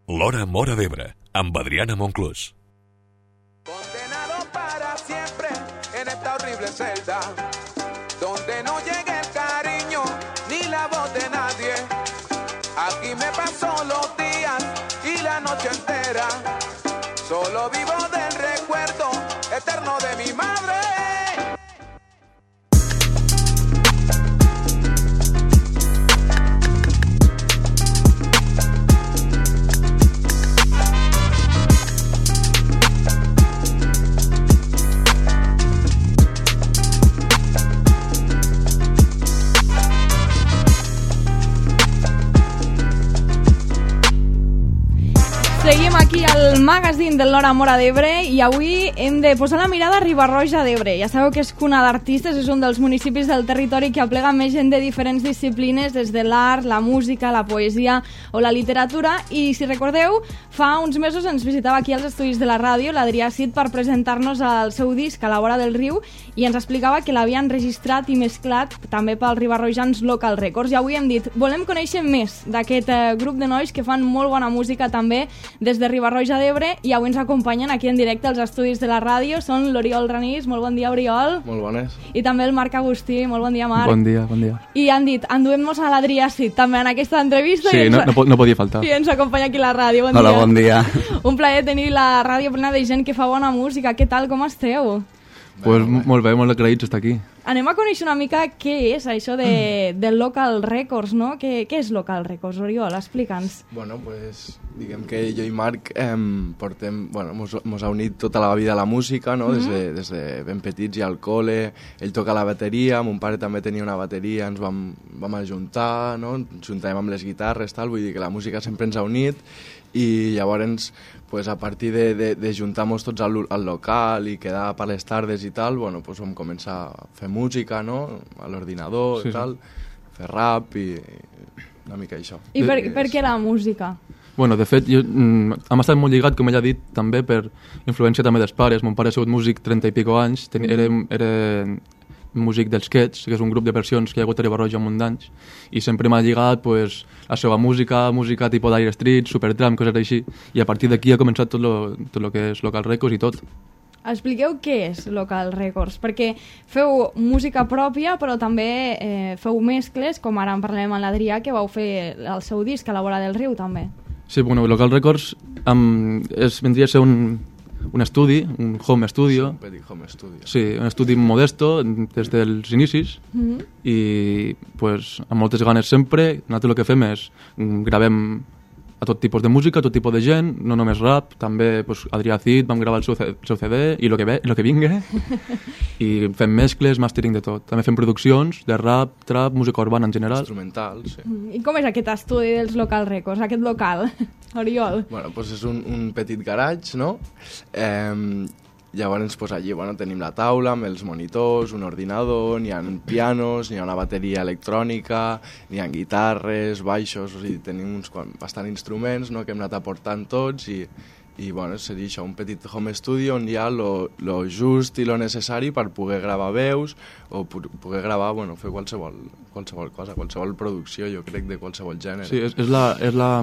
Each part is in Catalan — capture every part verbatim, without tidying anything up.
L'Hora Móra d'Ebre, amb Adriana Monclús. Condenado para siempre en esta horrible celda, donde no llegue el cariño ni la voz de nadie. Aquí me paso los días y la noche entera, solo vivo del recuerdo eterno de mi madre. Seguim aquí al magazín del L'Hora Móra d'Ebre i avui hem de posar la mirada a Riba-roja d'Ebre. Ja sabeu que és cuna d'artistes, és un dels municipis del territori que aplega més gent de diferents disciplines, des de l'art, la música, la poesia o la literatura. I si recordeu, fa uns mesos ens visitava aquí als estudis de la ràdio l'Adrià Cid per presentar-nos el seu disc A la vora del riu i ens explicava que l'havien registrat i mesclat també pel ribarrojans Local Records. I avui hem dit, volem conèixer més d'aquest eh, grup de nois que fan molt bona música també des de Riba-roja d'Ebre, i avui ens acompanyen aquí en directe als estudis de la ràdio. Són l'Oriol Ranís, molt bon dia, Oriol. Molt bones. I també el Marc Agustí, molt bon dia, Marc. Bon dia, bon dia. I han dit, enduem-nos a l'Adrià Cid també en aquesta entrevista. Sí, ens... no, no, no podia faltar. I ens acompanya aquí a la ràdio, bon Hola, dia. bon dia. Un plaer tenir la ràdio plena de gent que fa bona música. Què tal, com esteu? Pues molt bé, molt agraïts d'estar aquí. Anem a conèixer una mica què és això de, de Local Records, no? Què, què és Local Records, Oriol? Explica'ns. Bueno, pues diguem que jo i Marc eh, portem, bueno, mos, mos ha unit tota la vida la música, no? Des de, des de ben petits i al col·le. Ell toca la bateria, mon pare també tenia una bateria, ens vam, vam ajuntar, no? Ens juntàvem amb les guitarres, tal, vull dir que la música sempre ens ha unit. I llavors, pues, a partir de, de, de juntar-nos tots al, al local i quedar per les tardes i tal, bueno, pues, vam començar a fer música, no? A l'ordinador sí, i tal, sí. Fer rap i una mica això. I per, per què la música? Bueno, de fet, jo, mm, hem estat molt lligat, com ella ha dit, també per influència també dels pares. Mon pare ha sigut músic trenta i pico anys, ten, era, era músic dels Quets, que és un grup de versions que hi ha hagut a Riba-roja un munt d'anys, i sempre m'ha lligat pues, la seva música, música tipus d'Aire Street, Supertramp, coses així, i a partir d'aquí ha començat tot lo, tot lo que és Local Records i tot. Expliqueu què és Local Records, perquè feu música pròpia, però també eh, feu mescles, com ara en parlem amb l'Adrià, que vau fer el seu disc A la vora del riu, també. Sí, bueno, Local Records um, és, vendria a ser un, un estudi, un home studio. Sí, un petit home studio. Sí, un estudi modesto des dels inicis, Mm-hmm. i pues, amb moltes ganes sempre. Nosaltres el que fem és gravem a tot tipus de música, a tot tipus de gent, no només rap, també pues, Adrià Cid, vam gravar el seu, el seu C D i el que, ve, lo que vinga, i fem mescles, mastering de tot. També fem produccions de rap, trap, música urbana en general. Instrumental, sí. I com és aquest estudi dels Local Records, aquest local, Oriol? Bueno, pues és un, un petit garatge, no? Eh, llavors, pues allí, bueno, tenim la taula amb els monitors, un ordinador, n'hi ha pianos, n'hi ha una bateria electrònica, n'hi ha guitarres, baixos, o sigui, tenim uns bastant instruments, no?, que hem anat aportant tots i, i bueno, seria això, un petit home studio on hi ha lo, lo just i lo necessari per poder gravar veus o poder gravar, bueno, fer qualsevol, qualsevol cosa, qualsevol producció, jo crec, de qualsevol gènere. Sí, és, és, la, és la,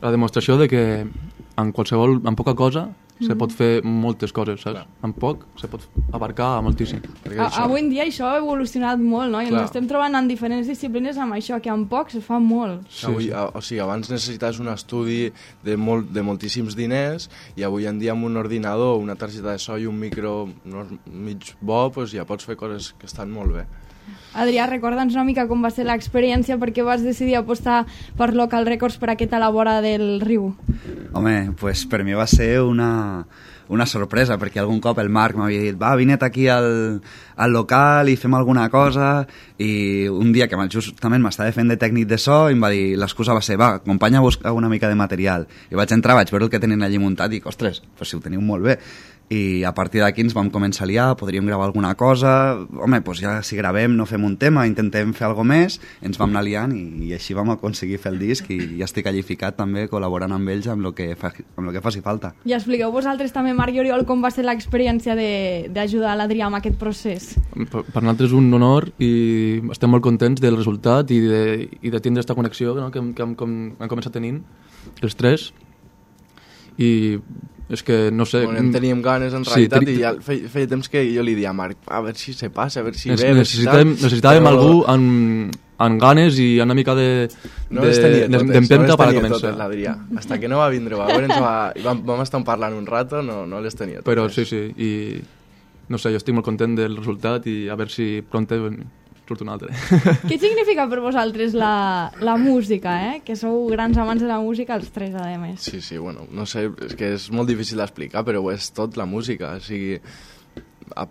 la demostració de que en qualsevol, en poca cosa, se pot fer moltes coses, saps? Clar. En poc se pot abarcar moltíssim. A, avui en dia això ha evolucionat molt, no? I Clar. ens estem trobant en diferents disciplines amb això, que en poc se fa molt. Sí, avui, a, o sigui, abans necessites un estudi de, molt, de moltíssims diners i avui en dia amb un ordinador, una targeta de so i un micro no, mig bo, pues ja pots fer coses que estan molt bé. Adrià, recorda'ns una mica com va ser l'experiència, perquè vas decidir apostar per Local Records per aquest A la vora del riu. Home, pues per mi va ser una, una sorpresa, perquè algun cop el Marc m'havia dit va, vine't aquí al, al local i fem alguna cosa, i un dia que justament m'estava fent de tècnic de so i em va dir, l'excusa va ser, va, acompanya a buscar una mica de material. I vaig entrar, vaig veure el que tenen allí muntat i dic, ostres, pues si ho teniu molt bé. I a partir d'aquí ens vam començar a liar, podríem gravar alguna cosa, home, doncs ja si gravem no fem un tema, intentem fer alguna més, ens vam anar liant i, i així vam aconseguir fer el disc i ja estic allí ficat també col·laborant amb ells amb el que, fa, amb el que faci falta. I expliqueu vosaltres també, Marc i Oriol, com va ser l'experiència d'ajudar l'Adrià amb aquest procés. Per, per nosaltres és un honor i estem molt contents del resultat i de, i de tindre aquesta connexió, no?, que, que hem, com, hem començat tenint els tres. i és que no sé... Bueno, en teníem ganes en sí, realitat teni... i ja feia, feia temps que jo li dia a Marc, a veure si se passa, a veure si Nes ve, necessitàvem, si necessitàvem però... algú amb, amb ganes i una mica de no les tenia totes, d'empenta no per les tenia començar. totes, l'Adrià. Hasta que no va vindre, va veure, va, vam, vam estar parlant un rato, no, no les tenia totes. Però sí, sí, i no sé, jo estic molt content del resultat i a veure si pront surt un altre. Què significa per vosaltres la, la música, eh? Que sou grans amants de la música, els tres, a més. Sí, sí, bueno, no sé, és que és molt difícil d'explicar, però ho és tot la música, o sigui,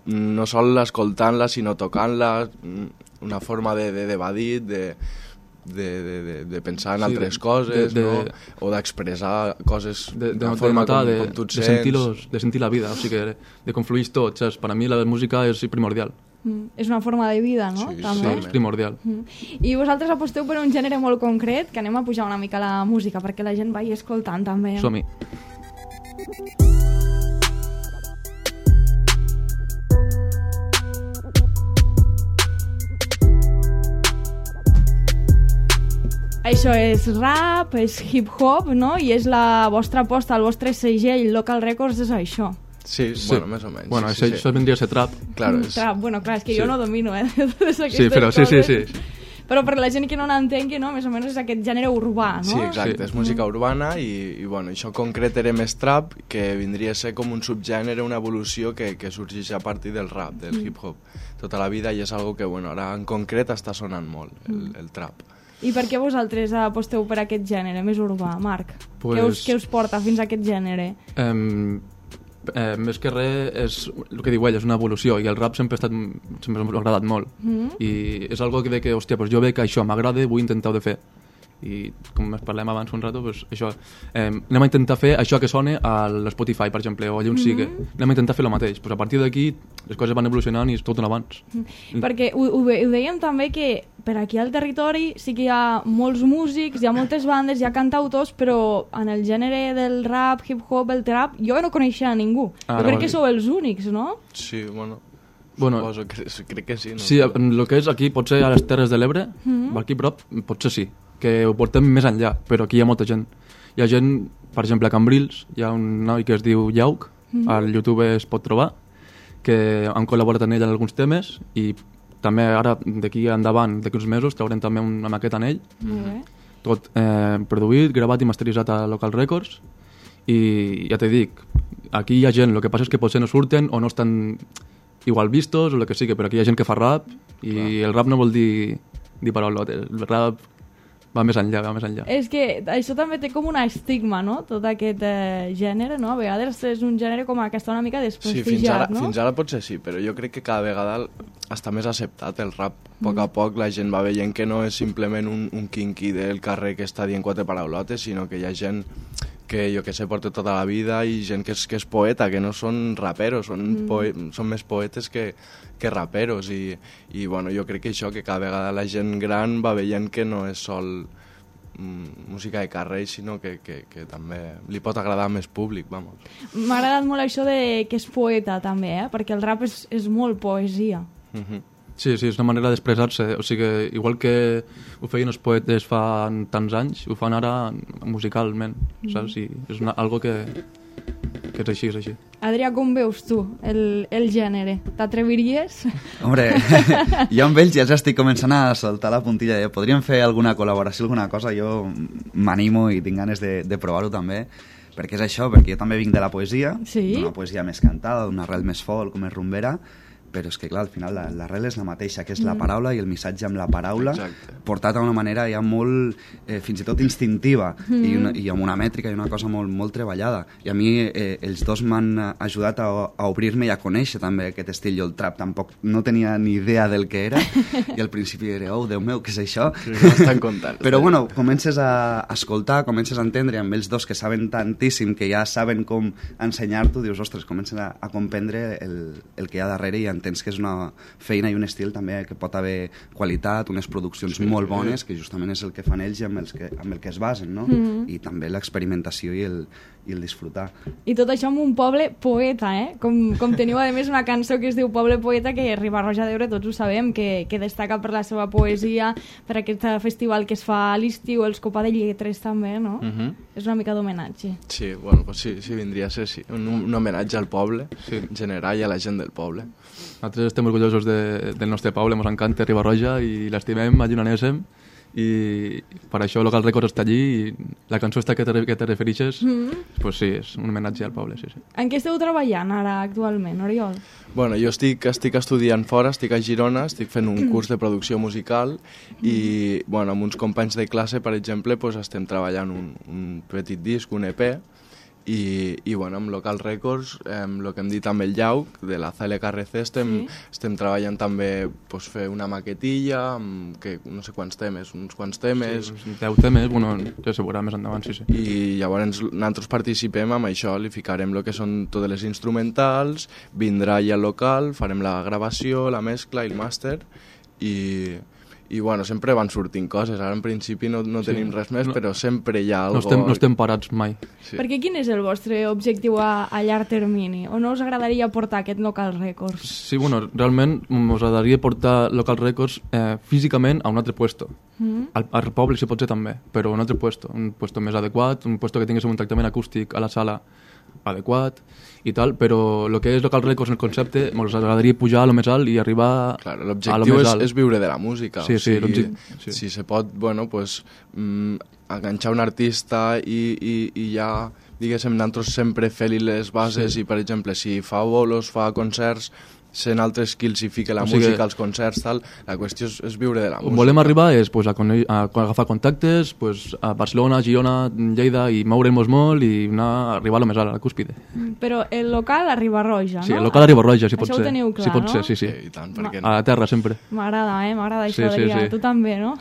no sol escoltant-la, sinó tocant-la, una forma de, de, d'evadir, de, de, de, de, de pensar en sí, altres de, coses, de, de, no? O d'expressar coses de, de, d'una forma notar, com, de, com tu et de sents. sentir, los, de sentir la vida, o sigui, de, de confluir tot, saps? Per a mi la música és primordial. Mm, és una forma de vida, no? Sí, també. Sí, és primordial. Mm. I vosaltres aposteu per un gènere molt concret, que anem a pujar una mica la música, perquè la gent vagi escoltant també. Som-hi. Això és rap, és hip-hop, no? I és la vostra aposta, el vostre segell, Local Records, és això. Sí, sí, bueno, més o menys. Bueno, sí, això, sí. això vendria a ser trap. Claro, Mm, és... trap, bueno, clar, és que Sí. jo no domino, eh, de totes aquestes Sí, però sí, sí, coses. sí. Però per la gent que no n'entengui, no? Més o menys és aquest gènere urbà, no? Sí, exacte, Sí. és música urbana i, i bueno, això en concret era més trap, que vindria a ser com un subgènere, una evolució que, que sorgeix a partir del rap, del Mm. hip-hop, tota la vida, i és algo que, bueno, ara en concret està sonant molt, el, el trap. I per què vosaltres aposteu per aquest gènere més urbà, Marc? Pues... Què, us, què us porta fins a aquest gènere? Eh, eh, més que res és el que diu ell, és una evolució i el rap sempre ha estat, sempre m'ha agradat molt Mm. i és algo que de que, hòstia, pues jo veig que això m'agrada, vull intentar de fer i com es parlem abans un rato, pues això, eh, anem a intentar fer això que sona a l'Spotify, per exemple, o allà on sigui, anem a intentar fer el mateix, pues a partir d'aquí les coses van evolucionant i és tot un abans. Mm. Perquè ho, ho, ve- ho dèiem també que per aquí al territori sí que hi ha molts músics, hi ha moltes bandes, hi ha cantautors, però en el gènere del rap, hip-hop, el trap, jo no coneixia a ningú. Ah, jo crec no, que sí. sou els únics, no? Sí, bueno, Bueno, suposo, que, crec que sí. No? sí, el que és aquí, potser a les Terres de l'Ebre, Mhm. aquí a prop, potser sí, que ho portem més enllà, però aquí hi ha molta gent. Hi ha gent, per exemple, a Cambrils, hi ha un noi que es diu Jauc, al YouTube es pot trobar, que han col·laborat amb ell en alguns temes i també ara, d'aquí endavant, d'aquí uns mesos, traurem també una maqueta en ell, Molt bé. tot eh, produït, gravat i masteritzat a Local Records, i ja t'he dic, aquí hi ha gent, el que passa és que potser no surten o no estan igual vistos o el que sigui, però aquí hi ha gent que fa rap i Clar. el rap no vol dir, dir paraulotes, el rap va més enllà, va més enllà. És que això també té com un estigma, no? Tot aquest eh, gènere, no? A vegades és un gènere com que està una mica Sí, desprestigiat, fins ara, no? fins ara potser sí, però jo crec que cada vegada està més acceptat el rap. A poc a poc la gent va veient que no és simplement un, un quinqui del carrer que està dient quatre paraulotes, sinó que hi ha gent que, jo que sé, porta tota la vida i gent que és, que és poeta, que no són raperos, són, mm. poe són més poetes que, que raperos i, i bueno, jo crec que això, que cada vegada la gent gran va veient que no és sol mm, música de carrer, sinó que, que, que també li pot agradar a més públic, vamos. M'ha agradat molt això de que és poeta, també, eh? Perquè el rap és, és molt poesia. Mhm. Sí, sí, és una manera d'expressar-se, o sigui, igual que ho feien els poetes fa tants anys, ho fan ara musicalment, saps? I és una, algo que, que és així, és així. Adrià, com veus tu el, el gènere? T'atreviries? Hombre, jo amb ells ja estic començant a soltar la puntilla de podríem fer alguna col·laboració, alguna cosa, jo m'animo i tinc ganes de, de provar-ho també, perquè és això, perquè jo també vinc de la poesia, Sí? d'una poesia més cantada, d'una arrel més folk, més rumbera, però és que clar, al final la- l'arrel és la mateixa, que és la paraula i el missatge amb la paraula, Exacte. portat d'una manera ja molt, eh, fins i tot instintiva, i, una, i amb una mètrica i una cosa molt, molt treballada. I a mi eh, els dos m'han ajudat a, a obrir-me i a conèixer també aquest estil. Jo el trap tampoc no tenia ni idea del que era, i al principi era, oh, Déu meu, què és això? Sí, no estan contant. Però bueno, comences a escoltar, comences a entendre amb ells dos que saben tantíssim, que ja saben com ensenyar-t'ho, dius, ostres, comences a, a comprendre el, el que hi ha darrere i entens que és una feina i un estil també que pot haver qualitat, unes produccions sí, molt bones, que justament és el que fan ells i amb, els que, amb el que es basen, no? Mm -hmm. I també l'experimentació i el, i el disfrutar. I tot això amb un poble poeta, eh? Com, com teniu, a més, una cançó que es diu Poble Poeta, que Riba-roja d'Ebre tots ho sabem, que, que destaca per la seva poesia, per aquest festival que es fa a l'estiu, els Copa de Lletres també, no? Uh -huh. És una mica d'homenatge. Sí, bueno, pues sí, sí, vindria a ser sí. un, un homenatge al poble, sí. En general, i a la gent del poble. Nosaltres estem orgullosos de, del nostre poble, ens encanta Riba-roja i l'estimem, allí on anéssim, i per això Local Records està allí i la cançó esta que te, que te referixes, mm. pues sí, és un homenatge al poble, sí, sí. En què esteu treballant ara actualment, Oriol? Bueno, jo estic, estic estudiant fora, estic a Girona, estic fent un curs de producció musical i bueno, amb uns companys de classe, per exemple, pues, estem treballant un, un petit disc, un E P, i, i bueno, amb Local Records, eh, el que hem dit amb el Llauc, de la C L K R C, estem, sí. estem treballant també pues, fer una maquetilla, amb, que no sé quants temes, uns quants temes... Sí, deu temes, bueno, ja se veurà més endavant, sí, sí. I llavors nosaltres participem amb això, li ficarem el que són totes les instrumentals, vindrà allà al local, farem la gravació, la mescla i el màster, i... i bueno, sempre van sortint coses, ara en principi no, no sí. tenim res més, no, però sempre hi ha algo... No estem, no estem parats mai. Sí. Perquè quin és el vostre objectiu a, a llarg termini? O no us agradaria portar aquest Local Records? Sí, bueno, realment us agradaria portar Local Records eh, físicament a un altre puesto. Mm-hmm. al, al poble si pot ser també, però un altre puesto, un puesto més adequat, un puesto que tingués un tractament acústic a la sala adequat i tal, però el que és Local Records, el concepte, ens agradaria pujar a lo més alt i arribar claro, a lo més alt. L'objectiu és, és viure de la música. Sí, o sigui, sí, sí. Si se pot, bueno, pues, mm, enganxar un artista i, i, i ja, diguéssim, nosaltres sempre fer-li les bases sí. I, per exemple, si fa bolos, fa concerts, sent altres skills i fica la o sigui, música als concerts, tal, la qüestió és, és viure de la música. On volem arribar és pues, a, a, a agafar contactes pues, a Barcelona, Girona, Lleida i moure'ns molt i anar a arribar a lo més alt, a la cúspide. Però el local a Riba-roja, no? Sí, el local a Riba-roja, si pot això ser. Això ho teniu clar, si pot no? ser, sí, sí. sí I tant, per què no? A la terra, sempre. M'agrada, eh? M'agrada això, sí, sí, Adrià. Sí. Tu també, no?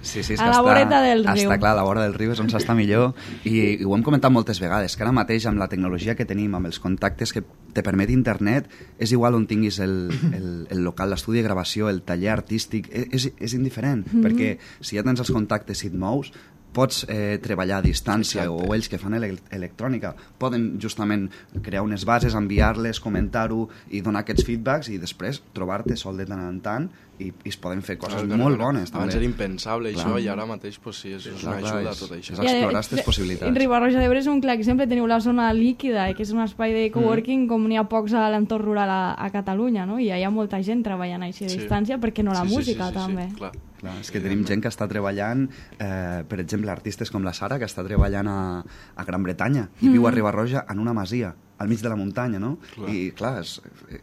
Sí, sí, és a que la està, voreta del riu. Està clar, a la vora del riu és on s'està millor i, i ho hem comentat moltes vegades, que ara mateix amb la tecnologia que tenim, amb els contactes que te permet internet, és igual on tinguis el, el, el local, l'estudi de gravació, el taller artístic, és, és indiferent, mm-hmm. perquè si ja tens els contactes i et mous, pots eh, treballar a distància. Exacte. O ells que fan ele electrònica poden justament crear unes bases, enviar-les, comentar-ho i donar aquests feedbacks i després trobar-te sol de tant en tant i, i es poden fer coses clar, molt bones. Abans també. era impensable clar. Això i ara mateix pues, sí, és, és una clar, ajuda a tot això. És explorar aquestes possibilitats. Riba-roja d'Ebre és un clar exemple, teniu la zona líquida, que és un espai de coworking mm. com n'hi ha pocs a l'entorn rural a, a Catalunya, no? I hi ha molta gent treballant així a sí. distància, perquè no la sí, música sí, sí, sí, també. Sí, clar. Clar, és que tenim gent que està treballant, eh, per exemple, artistes com la Sara, que està treballant a, a Gran Bretanya i mm. viu a Riba-roja en una masia, al mig de la muntanya, no? Clar. I, clar, és,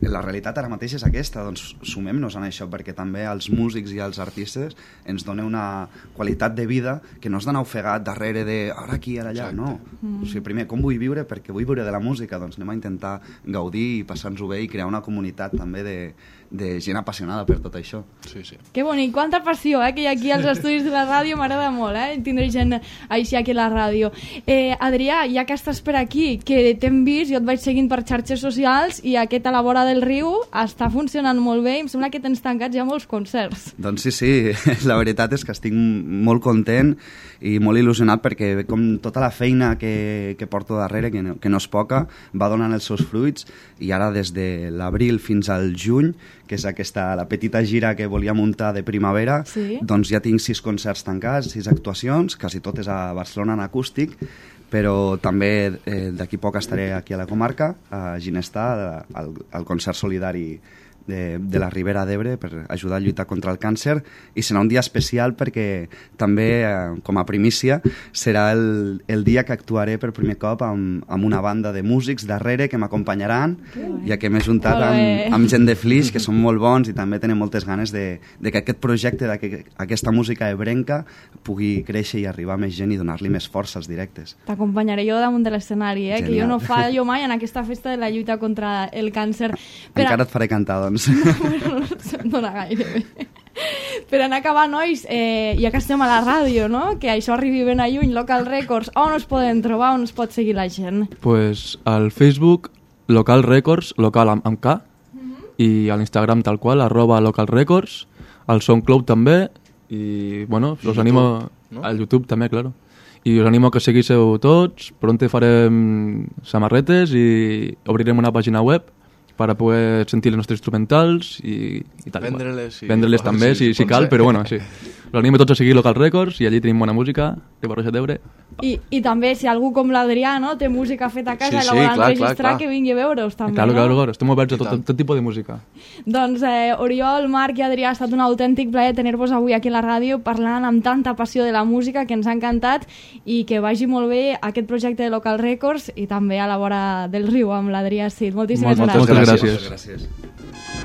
la realitat ara mateix és aquesta, doncs sumem-nos en això, perquè també els músics i els artistes ens donen una qualitat de vida que no és d'anar ofegat darrere de ara aquí, ara allà, no. Mm. O sigui, primer, com vull viure? Perquè vull viure de la música, doncs anem a intentar gaudir i passar-nos-ho bé i crear una comunitat també de, de gent apassionada per tot això. Sí, sí. Que bonic, quanta passió, eh, que hi ha aquí als estudis de la ràdio, m'agrada molt, eh, tindre gent així aquí a la ràdio. Eh, Adrià, ja que estàs per aquí, que t'hem vist, jo et vaig seguint per xarxes socials i aquest a la vora del riu està funcionant molt bé i em sembla que tens tancats ja molts concerts. Doncs sí, sí, la veritat és que estic molt content i molt il·lusionat perquè com tota la feina que, que porto darrere, que no, que no és poca, va donant els seus fruits i ara des de l'abril fins al juny, que és aquesta, la petita gira que volia muntar de primavera, sí. doncs ja tinc sis concerts tancats, sis actuacions, quasi totes a Barcelona en acústic, però també eh, d'aquí poc estaré aquí a la comarca, a Ginestar, al, al concert solidari de, de la Ribera d'Ebre per ajudar a lluitar contra el càncer i serà un dia especial perquè també, eh, com a primícia, serà el, el dia que actuaré per primer cop amb, amb una banda de músics darrere que m'acompanyaran, ja que m'he juntat amb, amb gent de Flix, que són molt bons i també tenen moltes ganes de, de que aquest projecte, d'aquesta música ebrenca pugui créixer i arribar a més gent i donar-li més força als directes. T'acompanyaré jo damunt de l'escenari, eh? Que jo no fallo mai en aquesta festa de la lluita contra el càncer. Per Encara a... et faré cantar, doncs. Bueno, no se'n dona gaire bé. Per anar acabant, nois, eh, ja que estem a la ràdio, no? Que això arribi ben a lluny, Local Records, on es poden trobar, on es pot seguir la gent? Pues al Facebook, Local Records, local amb, amb K, uh-huh. i a l'Instagram tal qual, arroba Local Records, al SoundCloud també, i bueno, us animo no? al YouTube també, claro. i us animo a que seguíssiu tots. Pronte farem samarretes i obrirem una pàgina web per a poder sentir les nostres instrumentals i, i tal. Vendre-les, sí. Vendre-les també, si, si cal, però bueno, sí. Us animo tots a seguir Local Records i allí tenim bona música de Riba-roja d'Ebre. I, I també, si algú com l'Adrià, no?, té música feta a casa Sí, i la sí, volen clar, registrar, clar, clar. que vingui a veure'us també, Claro, no? claro, claro, estem oberts a tot, tot, tot tipus de música. Doncs eh, Oriol, Marc i Adrià, ha estat un autèntic plaer tenir-vos avui aquí a la ràdio parlant amb tanta passió de la música, que ens ha encantat, i que vagi molt bé aquest projecte de Local Records i també a la vora del riu amb l'Adrià Cid. Moltíssimes Moltes gràcies. gràcies. Moltes gràcies.